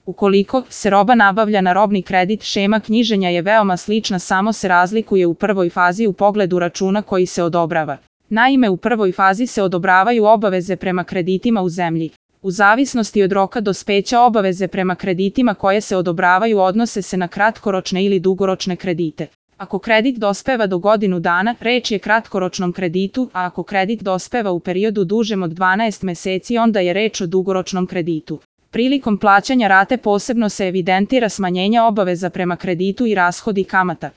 Ukoliko se roba nabavlja na robni kredit, šema knjiženja je veoma slična, samo se razlikuje u prvoj fazi u pogledu računa koji se odobrava. Naime, u prvoj fazi se odobravaju obaveze prema kreditima u zemlji. U zavisnosti od roka dospeća, obaveze prema kreditima koje se odobravaju odnose se na kratkoročne ili dugoročne kredite. Ako kredit dospeva do godinu dana, reč je kratkoročnom kreditu, a ako kredit dospeva u periodu dužem od 12 meseci, onda je reč o dugoročnom kreditu. Prilikom plaćanja rate posebno se evidentira smanjenje obaveza prema kreditu i rashodi kamata.